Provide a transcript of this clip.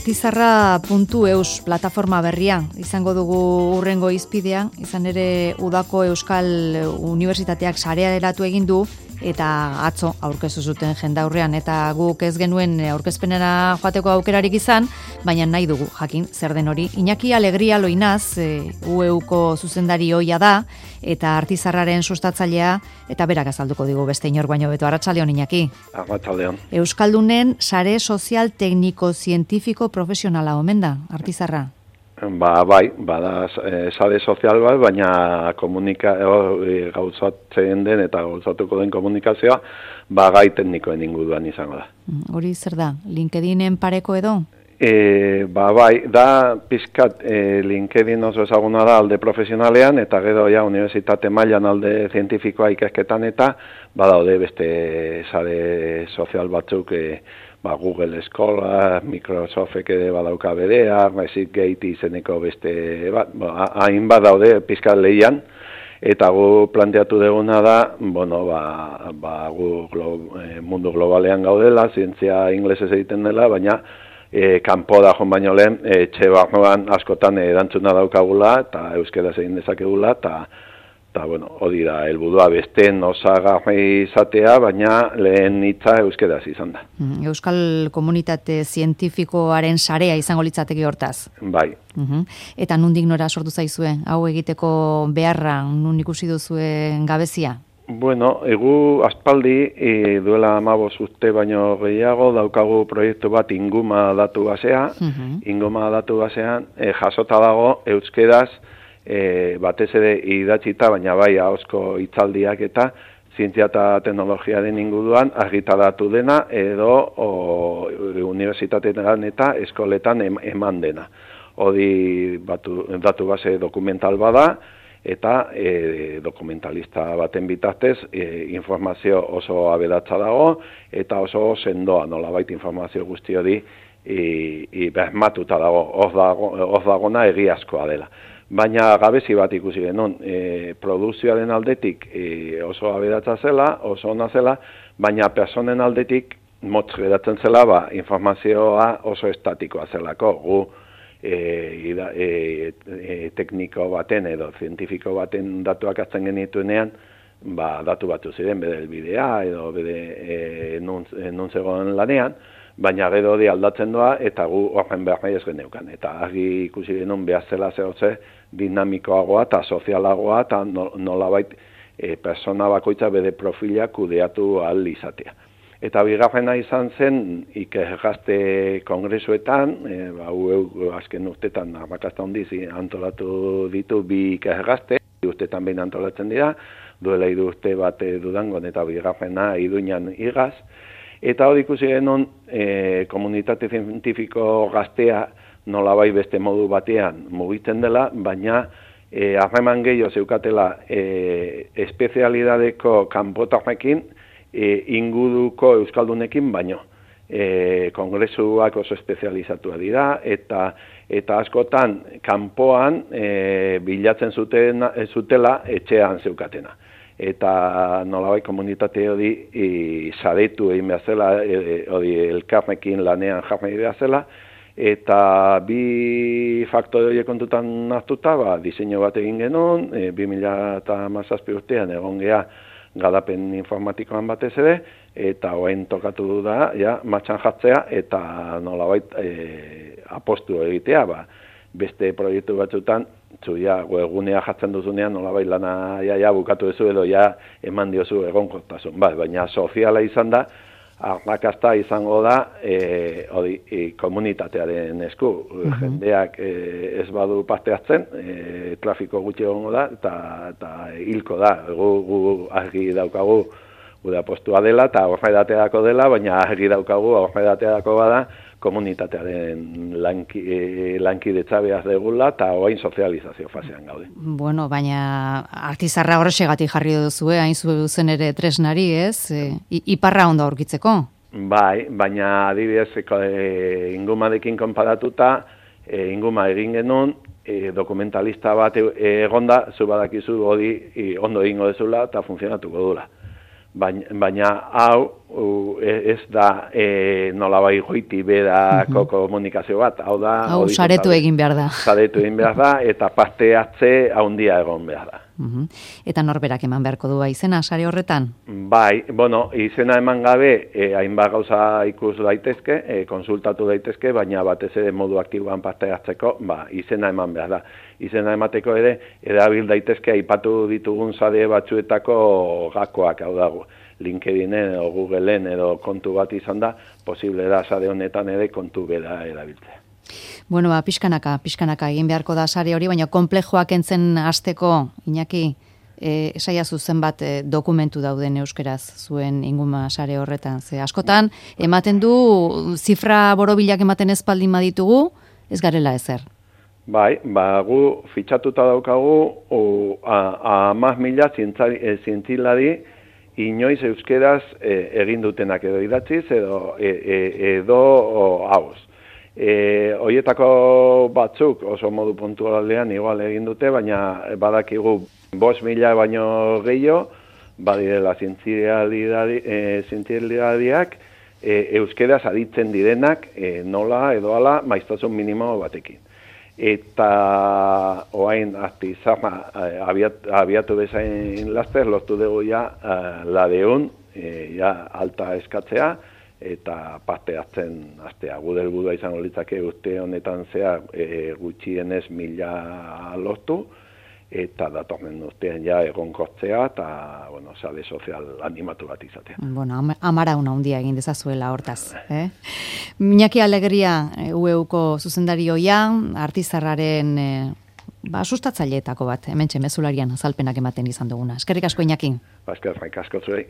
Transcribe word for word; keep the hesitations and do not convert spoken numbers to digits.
artizarra puntu eus plataforma berria izango dugu hurrengo izpidean, izan ere udako Euskal Unibertsitateak sarea eratu egin du eta atzo aurkeztu zuten jendaurrean eta guk ez genuen aurkezpenera joateko aukerarik izan, baina nahi dugu jakin zer den hori. Iñaki Alegria Loinaz, e, U E Uko zuzendari ohia da eta artizarraren sustatzailea eta berak azalduko digu beste inor baino beto. Arratsaldeon Iñaki. Arratsaldeon. Euskaldunen sare sozial tekniko zientifiko profesionala omen da artizarra. Ba, bai, bada e, sare sozial bat, baina komunika e, gauzatzen den eta gauzatuko den komunikazioa ba gai teknikoen inguruan izango da. Hori zer da? LinkedInen pareko edo? E, ba, bai, da pizkat e, LinkedIn oso ezaguna da alde profesionalean eta gero ja unibertsitate mailan alde zientifikoa ikasketan eta badaude beste sare sozial batzuk e, ba, Google Eskola, Microsoft ere badauka berea, Gate izeneko beste, ba, hain badaude pizkat lehian, eta gu planteatu duguna da, bueno, ba, ba gu glo, e, mundu globalean gaudela, zientzia inglesez egiten dela, baina e, kanpo da joan baino lehen, etxe barruan askotan erantzuna daukagula, eta euskaraz egin dezakegula, eta Eta, bueno, hori da, helburua beste osagarri izatea, baina lehen hitza euskaraz izan da. Euskal Komunitate Zientifikoaren sarea izango litzateke hortaz. Bai. Uh-huh. Eta nundik nora sortu zaizue? Hau egiteko beharra, nun ikusi duzuen gabezia? Bueno, egu aspaldi, e, duela hamabost urte baino gehiago, daukagu proiektu bat inguma datu basea. Uh-huh. Inguma datu basean e, jasota dago euskeraz, E, batez ere idatzita, baina bai ahozko hitzaldiak eta zientzia eta teknologiaren inguruan argitaratu dena edo o, unibertsitateetan eta eskoletan eman dena. Hori batu, datu base dokumental bada eta e, dokumentalista baten bitartez e, informazio oso aberatsa dago eta oso sendoa nolabait informazio guzti hori e, e, bermatuta dago, hor dago, hor dagona egiazkoa dela. Baina gabezi bat ikusi genuen, e, produkzioaren aldetik e, oso aberatsa zela, oso ona zela, baina personen aldetik motz geratzen zela, ba, informazioa oso estatikoa zelako. Gu e, ida, e, e, tekniko baten edo zientifiko baten datuak hartzen genituenean, ba, datu batu ziren, bede elbidea edo bede e, nun, nun zegoen lanean, baina gero hori aldatzen doa eta gu horren behar nahi ez geneukan. Eta argi ikusi genuen behar zela zehotze dinamikoagoa eta sozialagoa eta nolabait e, persona bakoitza bere profila kudeatu ahal izatea. Eta bigarrena izan zen ikergazte kongresuetan, e, ba, U azken urtetan arrakasta handiz antolatu ditu bi ikergazte, urtetan behin antolatzen dira, duela hiru urte bat Durangon eta bigarrena Iruñan igaz. Eta hori ikusi genuen e, komunitate zientifiko gaztea nolabai beste modu batean mugitzen dela, baina e, harreman gehiago zeukatela e, espezialidadeko kanpotarrekin e, inguruko euskaldunekin baino. E, kongresuak oso espezializatua dira eta eta askotan kanpoan e, bilatzen zuten, zutela etxean zeukatena. Eta nolabait komunitate hori e, saretu egin behar zela, e, hori elkarrekin lanean jarri behar zela, eta bi faktore horiek kontutan hartuta, ba, diseinu bat egin genuen, e, bi mila hamazazpi urtean egon gea garapen informatikoan batez ere, eta orain tokatu da, ja, martxan jartzea, eta nolabait e, apostu egitea, ba, beste proiektu batzutan, zu ja, webgunea jartzen duzunean, nolabait lana ja, ja bukatu duzu edo ja eman diozu egonkortasun. Ba, baina soziala izan da, arrakasta izango da e, odi, e, komunitatearen esku. Uh-huh. Jendeak e, ez badu parte hartzen, e, trafiko gutxi egongo da, eta, eta hilko da. Gu, gu argi daukagu gure apostua dela, eta horredateako dela, baina argi daukagu horredateako bada, komunitatearen lanki, e, lankidetza behar degula eta orain sozializazio fasean gaude. Bueno, baina artizarra horrexegatik jarri duzu, hain zuzen ere tresnari, ez? E, iparra ondo aurkitzeko? Bai, baina adibidez e, ingumarekin konparatuta, e, inguma egin genuen, e, dokumentalista bat egonda, zu badakizu hori e, ondo egingo dezula eta funtzionatuko dula. baina, baina hau u, ez da e, nolabai goiti bedako komunikazio bat, hau da... Hau saretu egin behar da. Saretu egin behar da, eta parte hartze haundia egon behar da. Uhum. Eta norberak eman beharko du izena sare horretan? Bai, bueno, izena eman gabe, eh, hainbat gauza ikus daitezke, eh, konsultatu daitezke, baina batez ere modu aktiboan parte hartzeko, ba, izena eman behar da. Izena emateko ere, erabil daitezke aipatu ditugun sare batzuetako gakoak, hau dago. LinkedInen edo Googleen edo kontu bat izan da, posible da sare honetan ere kontu bera erabiltzea. Bueno, ba, pixkanaka, pixkanaka egin beharko da sare hori, baina konplexoak entzen hasteko, Iñaki, e, esaia zuzen bat e, dokumentu dauden euskeraz zuen inguma sare horretan. Ze askotan, ematen du, zifra borobilak ematen ezpaldin baditugu, ez garela ezer. Bai, ba, gu fitxatuta daukagu, o, a, amaz mila zientzilari, inoiz euskeraz e, egin dutenak edo idatziz edo e, e, edo hauz. E, Hoietako batzuk oso modu puntualean igual egin dute, baina badakigu bost mila baino gehiago, badirela zientzialidadiak e, euskeraz aditzen direnak e, nola edo ala maiztasun minimo batekin. Eta oain artizama abiat, abiatu bezain laster, lortu dugu ja ladeun, e, ja alta eskatzea, eta parte hartzen astea. Gure helburua izango litzake urte honetan zea e, gutxienez mila lortu, eta datorren urtean ja egonkortzea, eta, bueno, sare sozial animatu bat izatea. Bueno, am amarauna handia egin dezazuela hortaz. Eh? Iñaki Alegria, U E Uko zuzendarioia, artizarraren e, ba, sustatzaileetako bat, hementxe mezularian azalpenak ematen izan duguna. Eskerrik asko, Iñaki. Ba, eskerrik asko zuei.